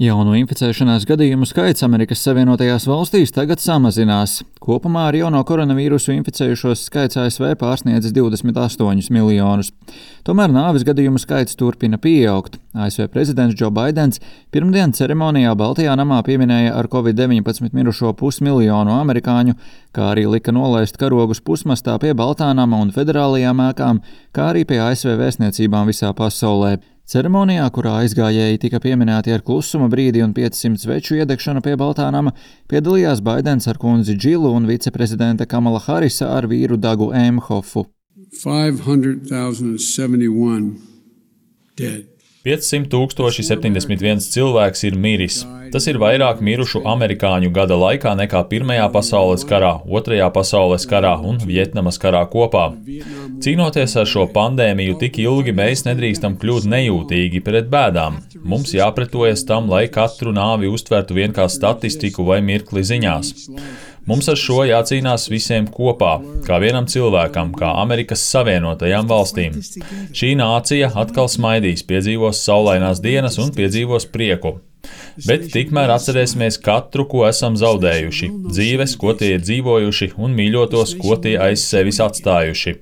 Jauno inficēšanās gadījumu skaits Amerikas Savienotajās valstīs tagad samazinās. Kopumā ar jauno koronavīrusu inficējušos skaits ASV pārsniedzis 28 miljonus. Tomēr nāves gadījumu skaits turpina pieaugt. ASV prezidents Džo Baidens pirmdien ceremonijā Baltajā namā pieminēja ar Covid-19 mirušo pusmiljonu amerikāņu, kā arī lika nolaist karogus pusmastā pie Baltā nama un federālajām ēkām, kā arī pie ASV vēstniecībām visā pasaulē. Ceremonijā, kurā aizgājēji tika pieminēti ar klusuma brīdi un 500 sveču iedegšanu pie Baltā nama, piedalījās Baidens ar kundzi Džilu un viceprezidente Kamala Harisa ar vīru Dagu Emhofu. 500,071 dead. 500,071 cilvēks ir miris. Tas ir vairāk mirušu amerikāņu gada laikā nekā Pirmajā pasaules karā, Otrajā pasaules karā un Vjetnamas karā kopā. Cīnoties ar šo pandēmiju tik ilgi, mēs nedrīkstam kļūt nejūtīgi pret bēdām. Mums jāpretojas tam, lai katru nāvi uztvertu vien kā statistiku vai mirkli ziņās. Mums ar šo jācīnās visiem kopā, kā vienam cilvēkam, kā Amerikas Savienotajām valstīm. Šī nācija atkal smaidīs, piedzīvos saulainās dienas un piedzīvos prieku. Bet tikmēr atcerēsimies katru, ko esam zaudējuši, dzīves, ko tie ir dzīvojuši, un mīļotos, ko tie aiz sevis atstājuši.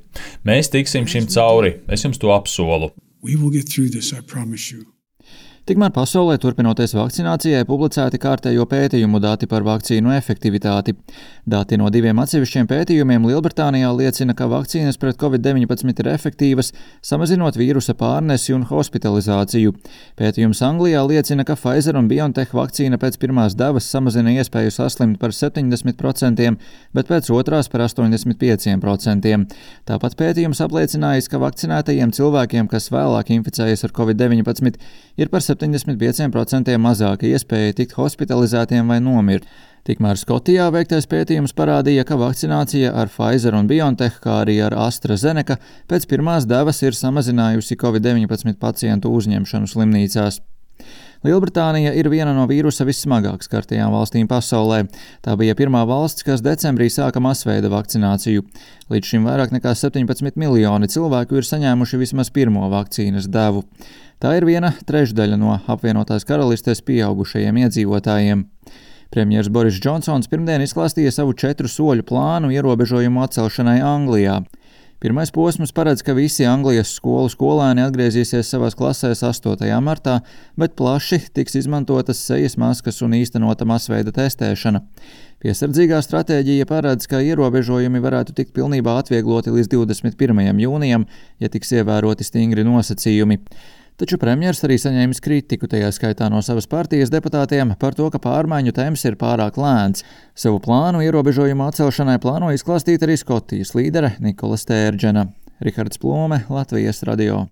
Mēs tiksim šim cauri, es jums to apsolu. Tikmēr pasaulē turpinoties vakcinācijai publicēti kārtējo pētījumu dati par vakcīnu efektivitāti. Dati no 2 atsevišķiem pētījumiem Lielbritānijā liecina, ka vakcīnas pret Covid-19 ir efektīvas, samazinot vīrusa pārnesi un hospitalizāciju. Pētījums Anglijā liecina, ka Pfizer un BioNTech vakcīna pēc pirmās devas samazina iespēju saslimt par 70%, bet pēc otrās par 85%. Tāpat pētījums apliecinājis, ka vakcinētajiem cilvēkiem, kas vēlāk inficējas ar Covid-19, ir par 75% mazāka iespēja tikt hospitalizētiem vai nomirt. Tikmēr Skotijā veiktais pētījums parādīja, ka vakcinācija ar Pfizer un BioNTech, kā arī ar AstraZeneca, pēc pirmās devas ir samazinājusi Covid-19 pacientu uzņemšanu slimnīcās. Lielbritānija ir viena no vīrusa vissmagāk skartajām valstīm pasaulē. Tā bija pirmā valsts, kas decembrī sāka masveida vakcināciju. Līdz šim vairāk nekā 17 miljoni cilvēku ir saņēmuši vismaz pirmo vakcīnas devu. Tā ir 1/3 no apvienotās karalistes pieaugušajiem iedzīvotājiem. Premjers Boris Džonsons pirmdien izklāstīja savu 4 soļu plānu ierobežojumu atcelšanai Anglijā. Pirmais posms paredz, ka visi Anglijas skolu skolēni atgriezīsies savās klasēs 8. martā, bet plaši tiks izmantotas sejas maskas un īstenota masveida testēšana. Piesardzīgā stratēģija paredz, ka ierobežojumi varētu tikt pilnībā atviegloti līdz 21. jūnijam, ja tiks ievēroti stingri nosacījumi. Taču premjers arī saņēmis kritiku, tajā skaitā no savas partijas deputātiem, par to, ka pārmaiņu temps ir pārāk lēns. Savu plānu ierobežojumu atcelšanai plāno izklāstīt arī Skotijas līdere Nikola Stērdžena. Rihards Plome, Latvijas radio.